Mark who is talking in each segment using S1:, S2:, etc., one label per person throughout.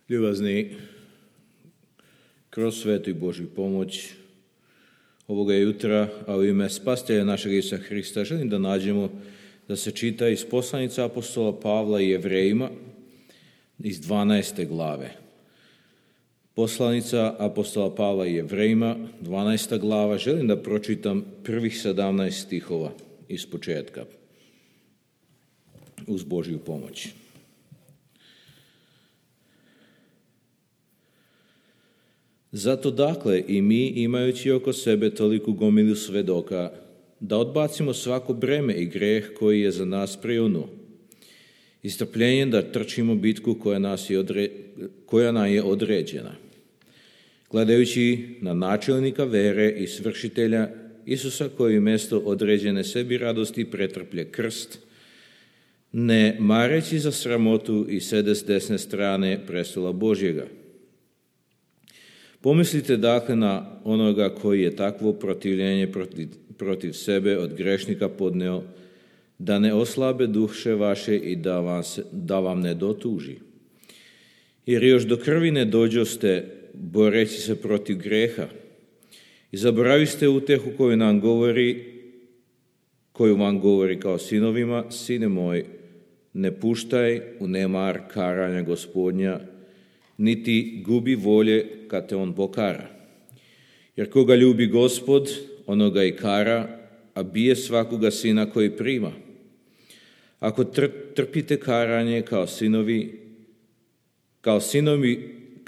S1: Ljubazni, kroz svetu i Božju pomoć ovoga jutra, a u ime Spasitelja našeg Isusa Hrista, želim da nađemo da se čita iz poslanica apostola Pavla i Jevrejima iz 12. glave. Poslanica apostola Pavla i Jevrejima, 12. glava, želim da pročitam prvih 17 stihova iz početka, uz Božju pomoć. Zato dakle i mi, imajući oko sebe toliku gomilu svedoka, da odbacimo svako breme i greh koji je za nas prijunuo, i strpljenjem da trčimo bitku koja nam je određena, gledajući na načelnika vere i svršitelja Isusa, koji umjesto određene sebi radosti pretrplje krst, ne mareći za sramotu i sede s desne strane prestola Božjega. Pomislite dakle na onoga koji je takvo protivljenje protiv sebe od grešnika podneo, da ne oslabe duše vaše i da vam ne dotuži. Jer još do krvi ne dođoste boreći se protiv greha i zaboraviste utehu koju vam govori kao sinovima: sine moj, ne puštaj u nemar karanja Gospodnja, niti gubi volje kad te on pokara. Jer koga ljubi Gospod, onoga i kara, a bije svakoga sina koji prima. Ako trpite karanje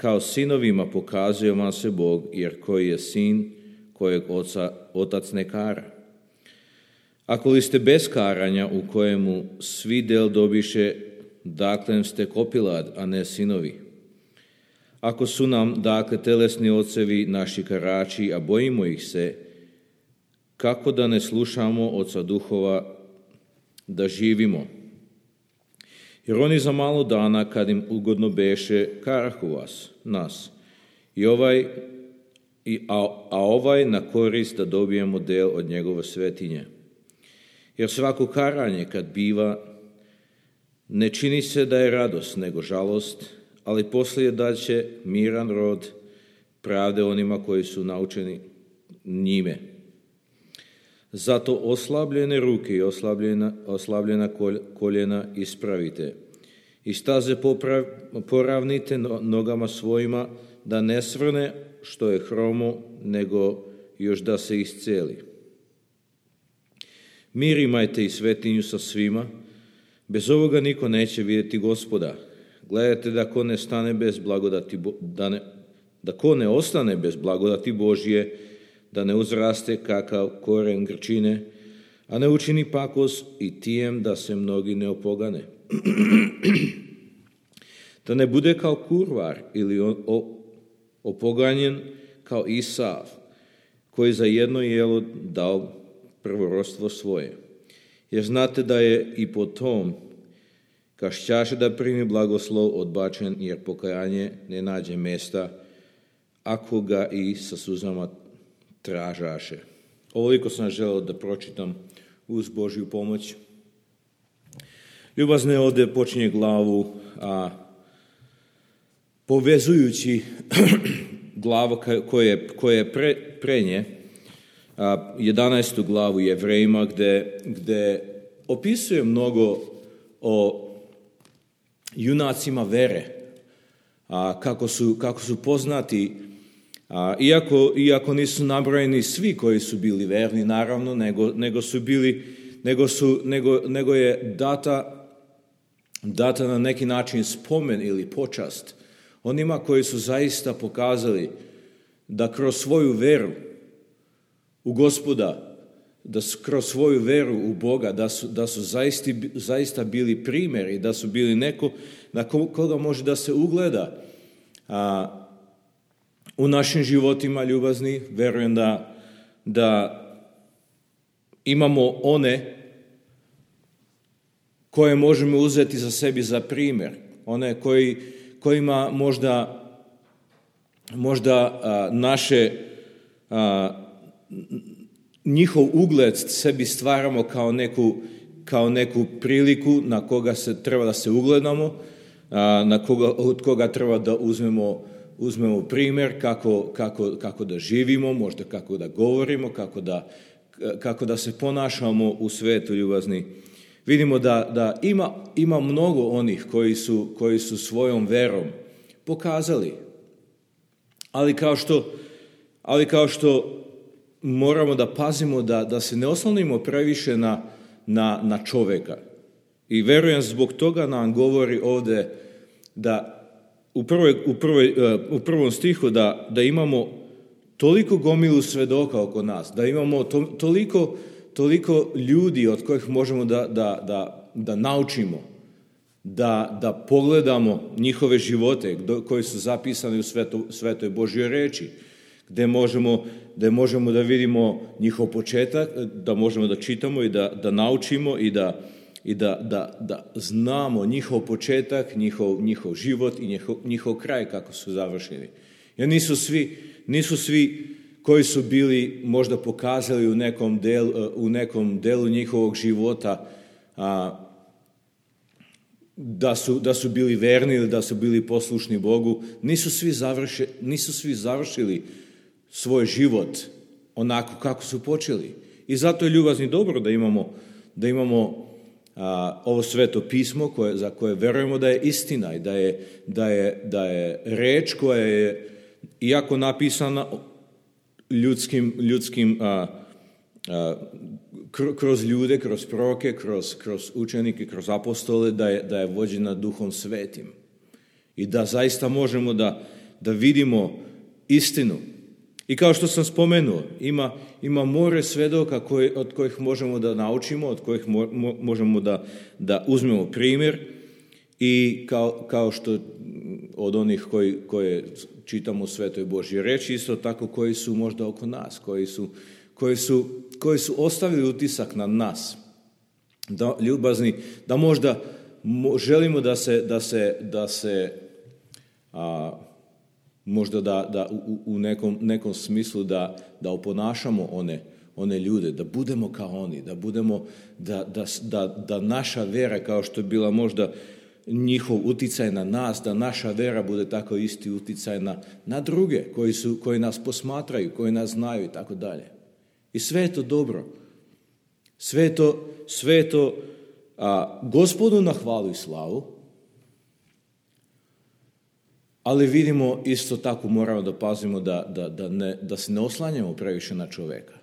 S1: kao sinovima pokazuje vam se Bog, jer koji je sin kojeg otac ne kara. Ako li ste bez karanja, u kojemu svi del dobiše, dakle ste kopilad, a ne sinovi. Ako su nam, dakle, telesni ocevi naši karači, a bojimo ih se, kako da ne slušamo oca duhova da živimo? Jer oni za malo dana, kad im ugodno beše, karahu nas. A ovaj na korist da dobijemo del od njegove svetinje. Jer svako karanje kad biva, ne čini se da je radost, nego žalost, ali poslije daće miran rod pravde onima koji su naučeni njime. Zato oslabljene ruke i oslabljena koljena ispravite i staze poravnite nogama svojima, da ne svrne što je hromo, nego još da se isceli. Mir imajte i svetinju sa svima, bez ovoga niko neće vidjeti Gospoda. Gledajte da ko ne ostane bez blagodati Božje, da ne uzraste kakav koren grčine, a ne učini pakos i tijem da se mnogi ne opogane. Da ne bude kao kurvar ili opoganjen kao Isav, koji za jedno jelo dao prvorodstvo svoje. Jer znate da je i po tom, kašćaše da primi blagoslov, odbačen, jer pokajanje ne nađe mjesta, ako ga i sa suzama tražaše. Ovoliko sam želeo da pročitam uz Božju pomoć. Ljubazne, ovdje počinje glavu, povezujući glavu koja je pre nje, 11. glavu Jevrejima, gde opisuje mnogo o junacima vere, kako su poznati, iako nisu nabrojeni svi koji su bili verni, naravno, nego je data na neki način spomen ili počast onima koji su zaista pokazali da kroz svoju veru u Gospoda, da su kroz svoju veru u Boga, da su zaista bili primjer i da su bili neko na koga može da se ugleda u našim životima, ljubazni. Verujem da imamo one koje možemo uzeti za sebi za primjer, one kojima možda njihov ugled sebi stvaramo kao neku priliku na koga se treba da se ugledamo, od koga treba da uzmemo primjer kako da živimo, možda kako da govorimo, kako da se ponašamo u svetu, ljubazni. Vidimo da ima mnogo onih koji su svojom verom pokazali. Ali kao što moramo da pazimo da se ne oslonimo previše na čoveka. I verujem zbog toga nam govori ovde da u prvom stihu da imamo toliko gomilu svedoka oko nas, da imamo toliko ljudi od kojih možemo da naučimo, da pogledamo njihove živote koji su zapisani u Svetoj Božjoj reči, gde možemo da vidimo njihov početak, da možemo da čitamo i da naučimo i da znamo njihov početak, njihov život i njihov kraj kako su završeni. Jer nisu svi koji su bili možda pokazali u nekom delu njihovog života da su bili verni ili da su bili poslušni Bogu, nisu svi završili svoj život onako kako su počeli. I zato je, ljubazni, dobro da imamo ovo sveto pismo za koje verujemo da je istina i da je reč koja je, iako napisana ljudskim kroz ljude, kroz proroke, kroz učenike, kroz apostole, da je vođena Duhom Svetim. I da zaista možemo da vidimo istinu. I kao što sam spomenuo, ima more svedoka od kojih možemo da naučimo, od kojih možemo da uzmemo primjer, i kao što od onih koje čitamo u Svetoj Božjoj reči, isto tako koji su možda oko nas, koji su ostavili utisak na nas. Ljubazni, da možda želimo da se možda da u nekom smislu da oponašamo one ljude, da budemo kao oni, da budemo, da naša vera, kao što je bila možda njihov uticaj na nas, da naša vera bude tako isti uticaj na druge koji nas posmatraju, koji nas znaju i tako dalje. I sve je to dobro. Sve je to Gospodu na hvalu i slavu, ali vidimo isto tako, moramo da pazimo da se ne oslanjamo previše na čoveka.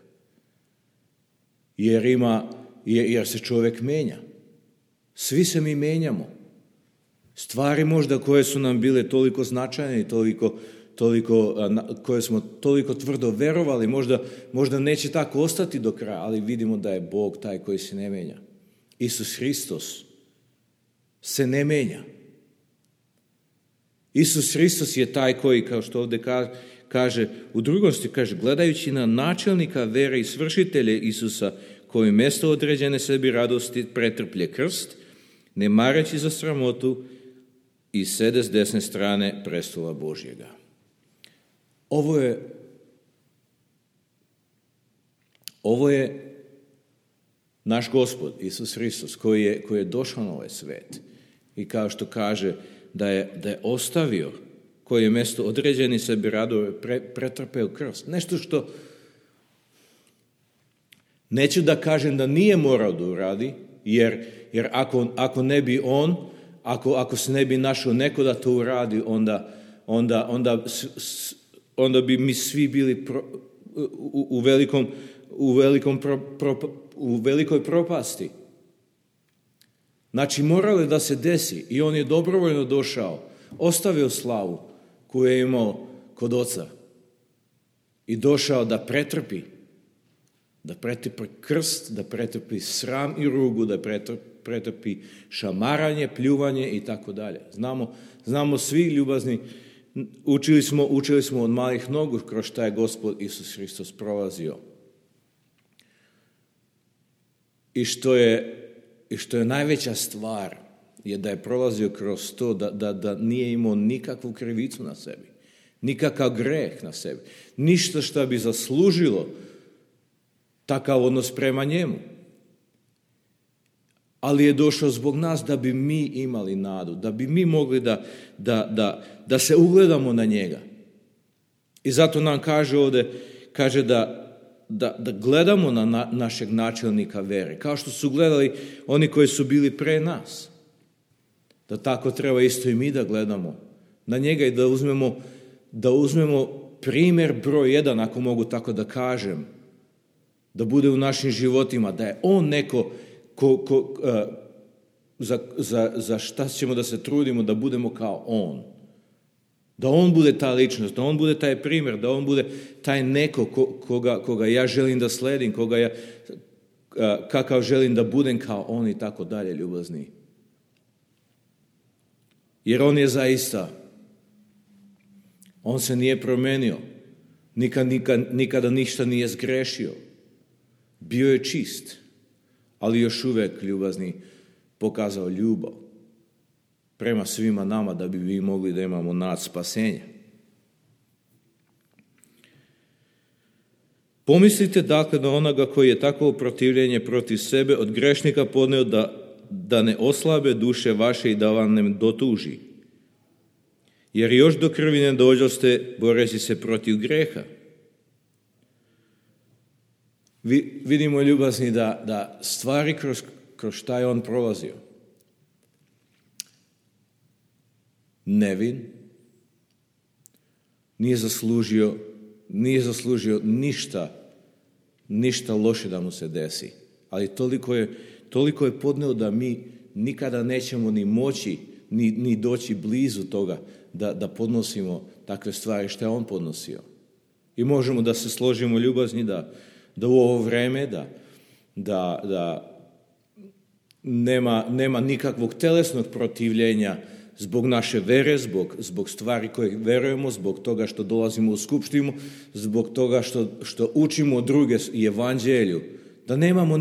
S1: Jer se čovek menja. Svi se mi menjamo. Stvari možda koje su nam bile toliko značajne i koje smo toliko tvrdo verovali, možda neće tako ostati do kraja, ali vidimo da je Bog taj koji se ne menja. Isus Hristos se ne menja. Isus Hristos je taj koji, kao što ovdje kaže, u drugom stihu kaže, gledajući na načelnika vere i svršitelje Isusa, koji mjesto određene sebi radosti pretrplje krst, ne mareći za sramotu, i sede s desne strane prestola Božjega. Ovo je naš Gospod, Isus Hristos, koji je došao na ovaj svet. I kao što kaže, da je ostavio, koji je mjesto određeni sebi radove, pretrpeo krst. Nešto što, neću da kažem da nije morao da uradi, jer ako ne bi on, ako se ne bi našao neko da to uradi, onda bi mi svi bili u velikoj propasti. Znači, moralo je da se desi i on je dobrovoljno došao, ostavio slavu koju je imao kod Oca i došao da pretrpi krst, da pretrpi sram i rugu, da pretrpi šamaranje, pljuvanje i tako dalje. Znamo svi, ljubazni, učili smo od malih nogu kroz šta je Gospod Isus Hristos prolazio. I što je najveća stvar je da je prolazio kroz to da nije imao nikakvu krivicu na sebi, nikakav greh na sebi, ništa što bi zaslužilo takav odnos prema njemu. ali je došao zbog nas da bi mi imali nadu, da bi mi mogli da se ugledamo na njega. I zato nam kaže ovdje, kaže da gledamo na našeg načelnika vere, kao što su gledali oni koji su bili pre nas. Da tako treba isto i mi da gledamo na njega i da uzmemo primjer broj 1, ako mogu tako da kažem, da bude u našim životima, da je on neko za šta ćemo da se trudimo da budemo kao on. Da on bude ta ličnost, da on bude taj primjer, da on bude taj neko koga ja želim da sledim, kakav želim da budem kao on i tako dalje, ljubazni. Jer on je zaista, on se nije promenio, nikada ništa nije zgrešio. Bio je čist, ali još uvijek, ljubazni, pokazao ljubav prema svima nama da bi vi mogli da imamo nad spasenja. Pomislite dakle na onoga koji je takvo protivljenje protiv sebe od grešnika podneo da ne oslabe duše vaše i da vam ne dotuži. Jer još do krvi ne dođoste boreći se protiv greha. Vidimo, ljubazni, da stvari kroz šta je on prolazio. Nevin, nije zaslužio ništa loše da mu se desi. Ali toliko je podneo da mi nikada nećemo ni moći, ni doći blizu toga da podnosimo takve stvari što je on podnosio. I možemo da se složimo, ljubazni, da u ovo vreme da nema nikakvog telesnog protivljenja zbog naše vere, zbog stvari koje verujemo, zbog toga što dolazimo u skupštinu, zbog toga što učimo druge i evanđelju, da nemamo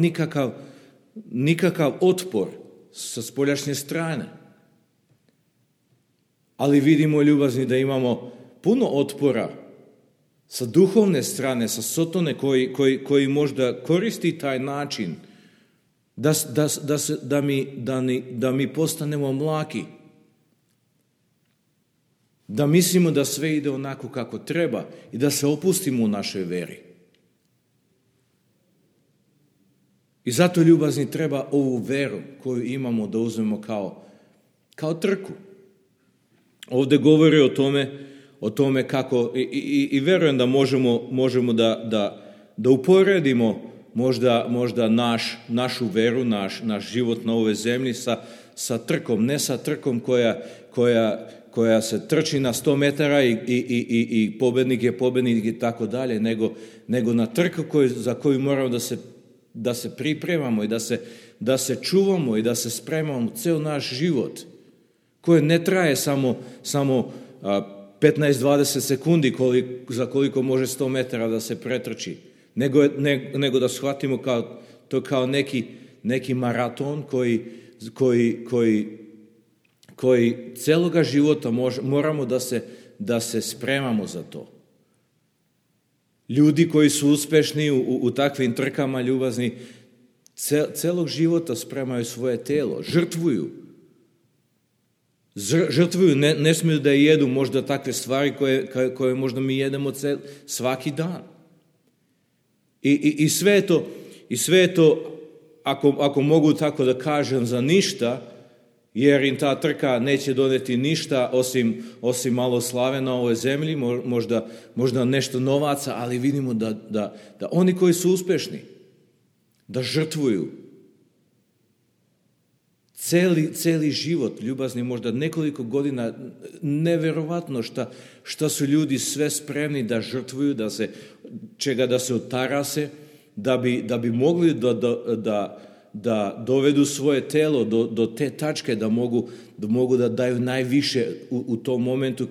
S1: nikakav otpor sa spoljašnje strane. Ali vidimo, ljubazni, da imamo puno otpora sa duhovne strane, sa Sotone koji možda koristi taj način da mi postanemo mlaki, da mislimo da sve ide onako kako treba i da se opustimo u našoj veri. I zato, ljubazni, treba ovu veru koju imamo da uzmemo kao trku. Ovdje govori o tome kako, i verujem da možemo da uporedimo možda našu veru, naš život na ovoj zemlji sa trkom, ne sa trkom koja se trči na 100 metara i pobednik je pobednik i tako dalje, nego na trku za koju moramo da se pripremamo i da se čuvamo i da se spremamo ceo naš život, koje ne traje samo 15-20 sekundi za koliko može 100 metara da se pretrči, nego da shvatimo kao neki maraton koji celoga života moramo da se spremamo za to. Ljudi koji su uspešni u takvim trkama, ljubazni, celog života spremaju svoje telo, žrtvuju, ne smiju da jedu možda takve stvari koje možda mi jedemo svaki dan. I sve je to, ako mogu tako da kažem, za ništa, jer im ta trka neće doneti ništa osim malo slave na ovoj zemlji, možda nešto novaca, ali vidimo da oni koji su uspešni, da žrtvuju celi život, ljubazni, možda nekoliko godina, neverovatno šta su ljudi sve spremni da žrtvuju, da se otarase, da bi mogli da dovedu svoje telo do te tačke da mogu da daju najviše u tom momentu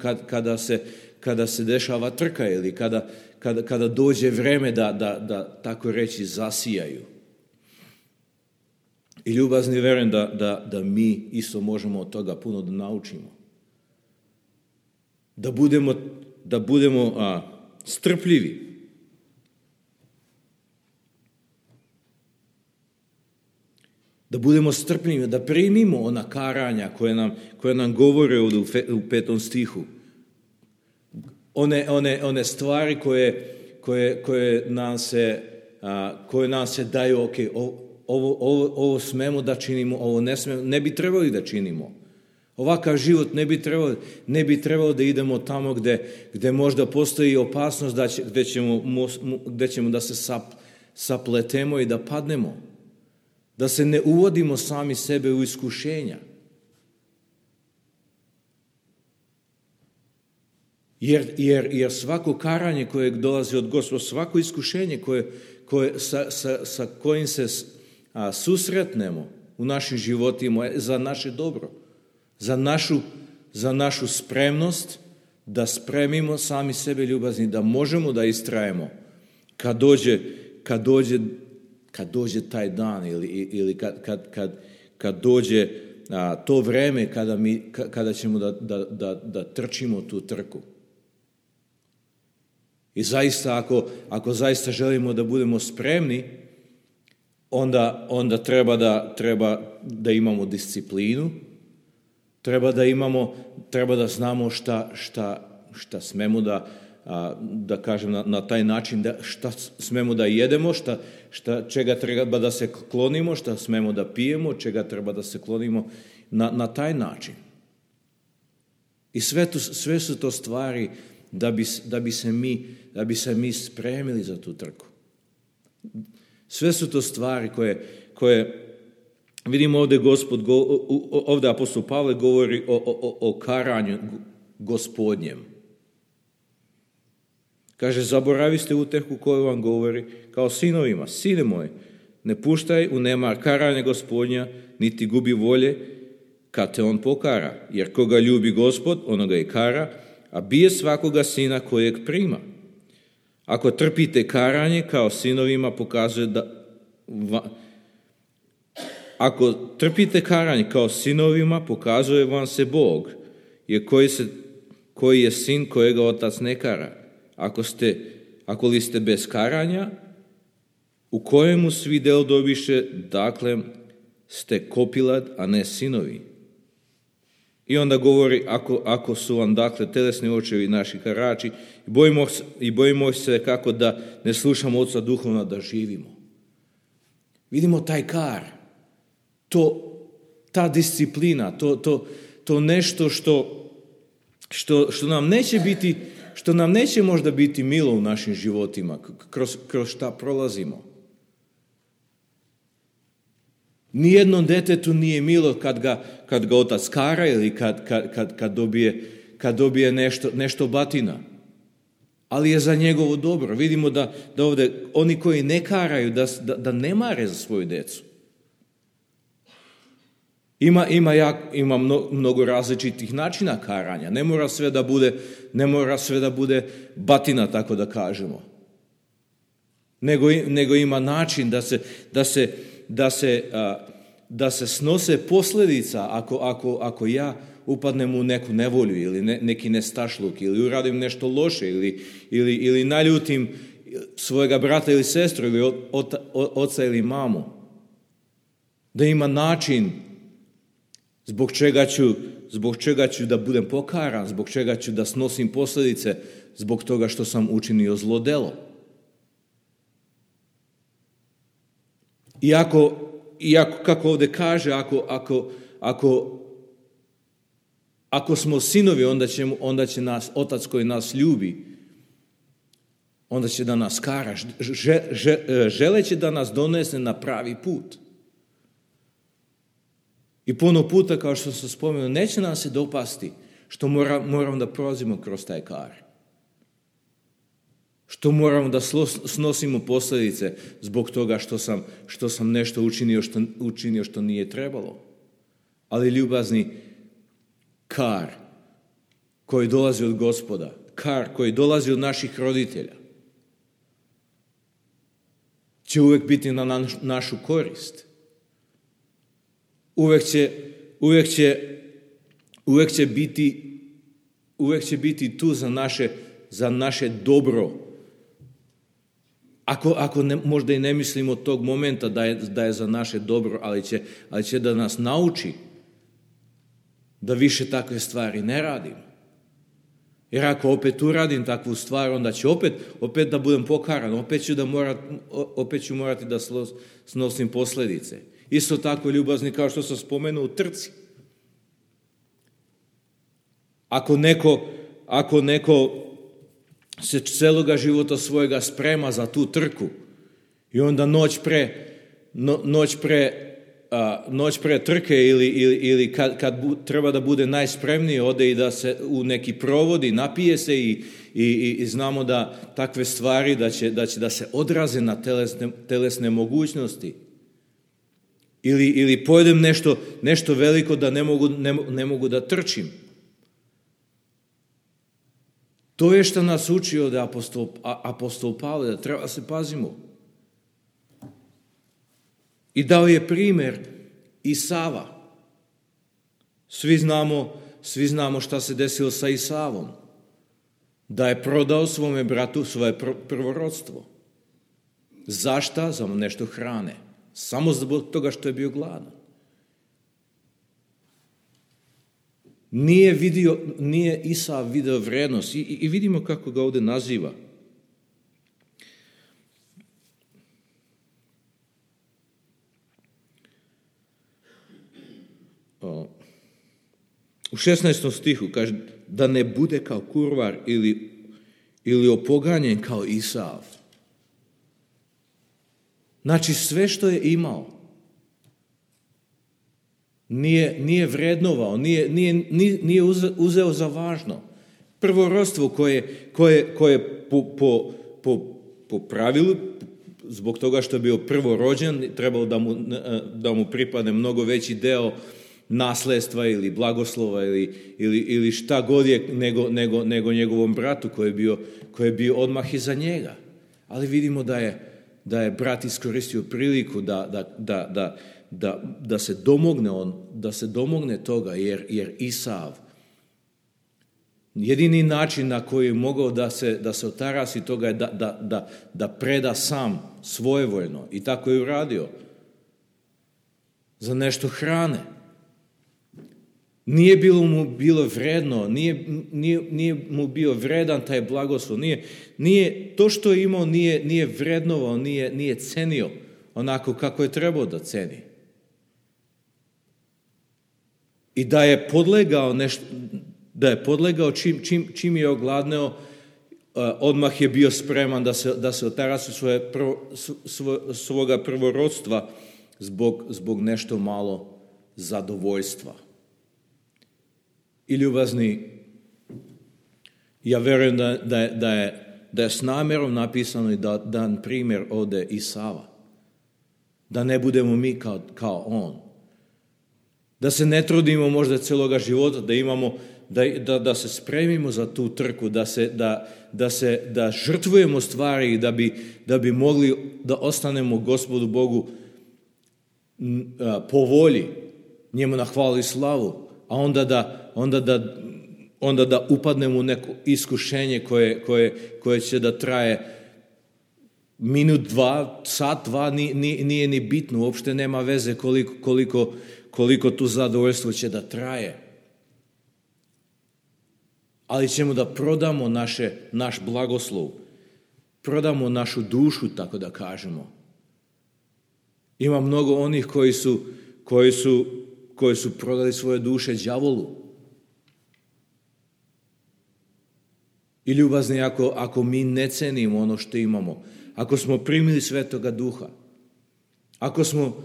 S1: kada se dešava trka ili kada dođe vreme da tako reći zasijaju. I, ljubazni, verujem da mi isto možemo od toga puno da naučimo. Da budemo strpljivi. Da budemo strpljivi, da primimo ona karanja koje nam govore ovdje u 5. stihu. One stvari koje nam se daju, ok, ovo smemo da činimo, ovo ne bi trebali da činimo. Ovakav život ne bi trebalo da idemo tamo gde možda postoji opasnost gde ćemo da se sapletemo i da padnemo. Da se ne uvodimo sami sebe u iskušenja. Jer svako karanje koje dolazi od Gospoda, svako iskušenje sa kojim se susretnemo u našim životima je za naše dobro. Za našu spremnost da spremimo sami sebe ljubazni, da možemo da istrajemo kad dođe taj dan ili kad dođe to vreme kada ćemo da trčimo tu trku. I zaista, ako zaista želimo da budemo spremni, onda treba da imamo disciplinu, treba da znamo šta smemo da kažem na taj način, šta smemo da jedemo, čega treba da se klonimo, šta smemo da pijemo, čega treba da se klonimo na taj način. I sve su to stvari da bi se mi spremili za tu trku. Sve su to stvari koje vidimo ovdje ovdje apostol Pavle govori o karanju Gospodnjem. Kaže, zaboraviste utehu koju vam govori kao sinovima. Sine moj, ne puštaj u nemar karanja Gospodnja, niti gubi volje kad te on pokara. Jer koga ljubi Gospod, onoga i kara, a bije svakoga sina kojeg prima. Ako trpite karanje kao sinovima, pokazuje ako trpite karanje kao sinovima, pokazuje vam se Bog, jer koji je sin kojega otac ne kara. Ako li ste bez karanja, u kojemu svi del dobiše, dakle ste kopilad, a ne sinovi. I onda govori, ako su vam dakle telesni očevi naši karači, i bojimo se kako da ne slušamo Oca duhovna da živimo. Vidimo taj kar, ta disciplina, to nešto što nam neće možda biti milo u našim životima, kroz šta prolazimo. Nijednom detetu nije milo kad ga otac kara ili kad dobije nešto batina. Ali je za njegovo dobro. Vidimo da ovdje oni koji ne karaju, da ne mare za svoju decu. Ima mnogo različitih načina karanja. Ne mora sve da bude batina, tako da kažemo. Nego ima način da se snose posljedica ako ja upadnem u neku nevolju ili neki nestašluk ili uradim nešto loše ili naljutim svojega brata ili sestru ili oca ili mamu. Da ima način zbog čega ću da budem pokaran, zbog čega ću da snosim posljedice zbog toga što sam učinio zlo delo. Iako kako ovdje kaže, ako smo sinovi, onda će nas Otac koji nas ljubi, onda će da nas kara, želeći da nas donese na pravi put. I puno puta, kao što sam spomenuo, neće nam se dopasti što moramo da prolazimo kroz taj kar. Što moramo da snosimo posljedice zbog toga što sam nešto učinio što nije trebalo. Ali ljubazni, kar koji dolazi od Gospoda, kar koji dolazi od naših roditelja, će uvijek biti na našu korist. Uvijek će biti tu za naše dobro. Ako možda i ne mislimo od tog momenta da je za naše dobro, ali će da nas nauči da više takve stvari ne radimo. Jer ako opet uradim takvu stvar, onda ću opet da budem pokaran, opet ću morati da snosim posljedice. Isto tako ljubazni, kao što sam spomenuo, u trci. Ako neko se celoga života svojega sprema za tu trku i onda noć pre trke ili kad treba da bude najspremniji, ode i da se u neki provodi, napije se i znamo da takve stvari da će da se odraze na telesne mogućnosti. Ili pojedem nešto veliko da ne mogu da trčim. To je što nas uči od apostol Pavle, da treba se pazimo. I dao je primjer Isava. Svi znamo šta se desilo sa Isavom. Da je prodao svome bratu svoje prvorodstvo. Zašta? Za nešto hrane. Samo zbog toga što je bio gladan. Nije Isav video vrednost i vidimo kako ga ovdje naziva. U 16. stihu kaže da ne bude kao kurvar ili opoganjen kao Isav. Znači sve što je imao nije vrednovao, nije uzeo za važno. Prvorodstvo koje po pravilu, zbog toga što je bio prvorođen, trebalo da mu pripadne mnogo veći deo nasledstva ili blagoslova ili šta god je nego njegovom bratu koji je bio odmah iza njega. Ali vidimo da je brat iskoristio priliku da se domogne toga, jer Isav, jedini način na koji je mogao da se otarasi toga je da preda sam svojevoljno, i tako je uradio, za nešto hrane. Nije mu bilo vredno, nije mu bio vredan taj blagoslov, nije to što je imao, nije vrednovao, nije cenio onako kako je trebao da ceni. I da je podlegao čim je ogladneo, odmah je bio spreman da se otarasi svoga prvorodstva zbog nešto malo zadovoljstva. I ljubazni, ja verujem da je s namjerom napisano i da dan primjer ode Isava. Da ne budemo mi kao on. Da se ne trudimo možda celoga života, da se spremimo za tu trku, da žrtvujemo stvari da bi mogli da ostanemo Gospodu Bogu po volji, njemu na hvalu i slavu, a onda da upadnemo u neko iskušenje koje će da traje minut, dva, sat, dva, nije ni bitno, uopšte nema veze koliko tu zadovoljstvo će da traje. Ali ćemo da prodamo naš blagoslov, prodamo našu dušu, tako da kažemo. Ima mnogo onih koji su prodali svoje duše đavolu. I ljubazni, ako mi ne cenimo ono što imamo, ako smo primili Svetoga Duha,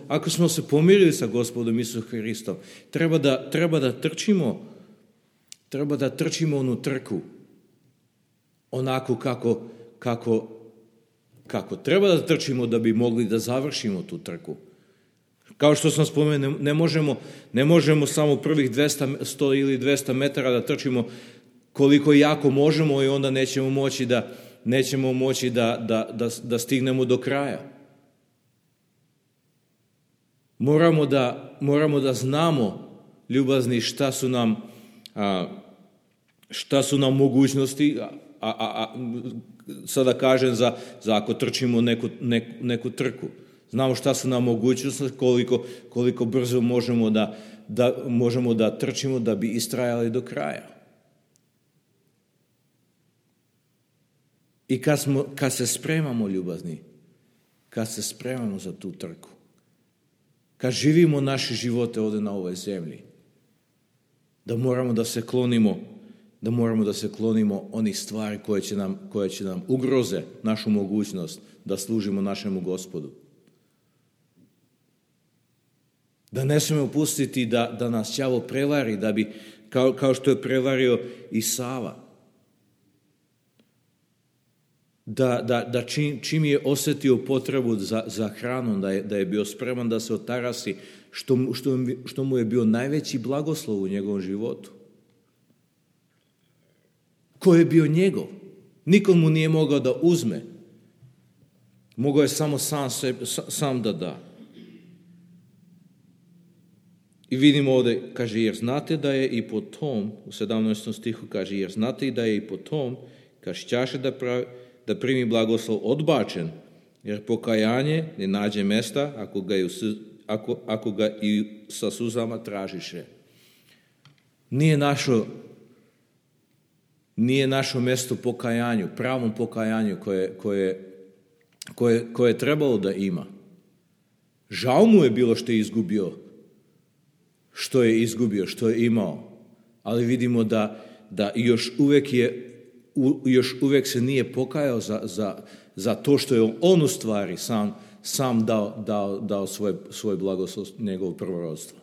S1: ako smo se pomirili sa Gospodom Isusom Hristom, treba da trčimo onu trku onako kako treba da trčimo da bi mogli da završimo tu trku. Kao što sam spomenuo, ne možemo samo prvih 100 ili 200 metara da trčimo koliko jako možemo i onda nećemo moći da stignemo do kraja. Moramo da znamo, ljubazni, šta su nam mogućnosti, sada kažem za ako trčimo neku trku. Znamo šta su nam mogućnosti, koliko brzo možemo da trčimo da bi istrajali do kraja. I kad se spremamo, ljubazni, kad se spremamo za tu trku, kad živimo naše živote ovdje na ovoj zemlji, da moramo da se klonimo onih stvari koje će nam ugroze našu mogućnost da služimo našemu Gospodu. Da ne smijemo pustiti da nas đavo prevari, da bi, kao što je prevario Isava, da čim je osjetio potrebu za hranom, da je bio spreman da se otarasi, što mu je bio najveći blagoslov u njegovom životu. Ko je bio njegov? Nikom mu nije mogao da uzme. Mogao je samo sam da da. I vidimo ovdje, kaže, jer znate da je i po tom, u 17. stihu kaže, jer znate i da je i po tom, kad šćaše da primi blagoslov odbačen, jer pokajanje ne nađe mesta ako ga i sa suzama tražiše. Nije našo mjesto pokajanju, pravom pokajanju koje je trebalo da ima. Žao mu je bilo što je izgubio, što je imao, ali vidimo da još uvijek se nije pokajao za to što je on u stvari sam dao svoj blagoslov njegovo prvorodstvo.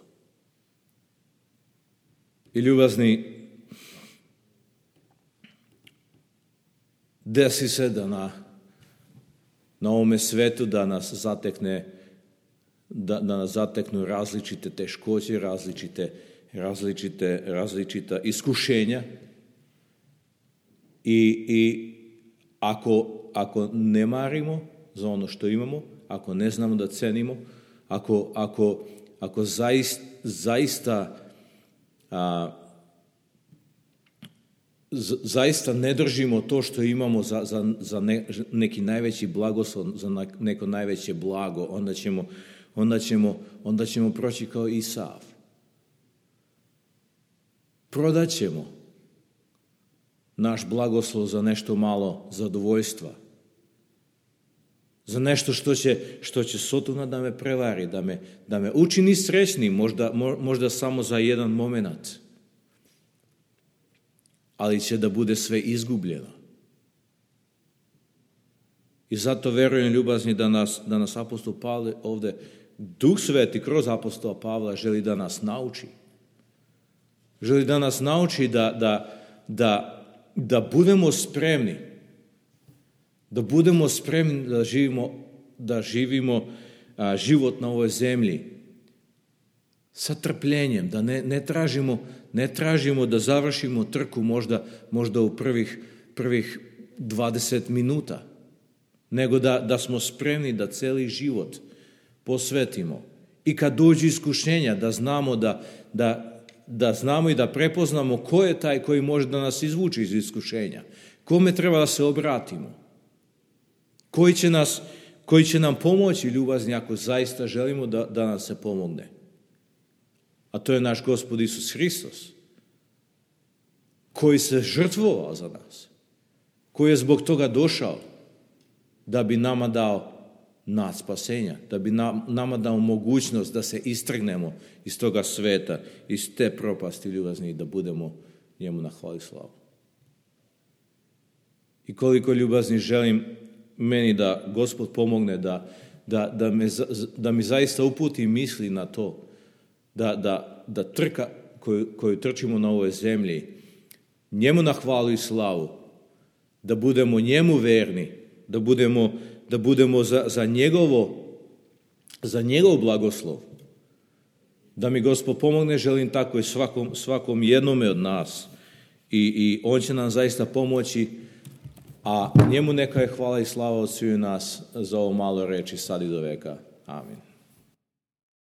S1: I ljubazni, desi se da na ovome svetu da nas zateknu različite teškoće, različita iskušenja. I ako ne marimo za ono što imamo, ako ne znamo da cenimo, ako zaista ne držimo to što imamo za neki najveći blagoslov, za neko najveće blago, onda ćemo proći kao Isav. Prodat ćemo naš blagoslov za nešto malo zadovoljstva, za nešto što će Sotona da me prevari, da me učini srećnim, možda samo za jedan moment, ali će da bude sve izgubljeno. I zato verujem, ljubazni, da nas apostol Pavle ovdje, Duh Sveti kroz apostola Pavla želi da nas nauči. Želi da nas nauči da budemo spremni, da živimo život na ovoj zemlji sa trpljenjem, da ne tražimo da završimo trku možda u prvih 20 minuta, nego da smo spremni da cijeli život posvetimo. I kad dođu iskušenja, da znamo da znamo i da prepoznamo ko je taj koji može da nas izvuče iz iskušenja. Kome treba da se obratimo? Koji će nam pomoći, ljubazni, ako zaista želimo da nam se pomogne? A to je naš Gospod Isus Hristos, koji se žrtvovao za nas, koji je zbog toga došao da bi nama dao nad spasenja, da bi nama dao mogućnost da se istrgnemo iz toga sveta, iz te propasti, ljubazni, da budemo njemu na hvali slavu. I koliko, ljubazni, želim meni da Gospod pomogne da mi zaista uputi misli na to, da trka koju trčimo na ovoj zemlji, njemu na hvalu i slavu, da budemo njemu verni, da budemo za njegov blagoslov. Da mi Gospod pomogne, želim tako i svakom jednome od nas. I on će nam zaista pomoći, a njemu neka je hvala i slava od sviju nas za ovo malo reči sad i do veka. Amin.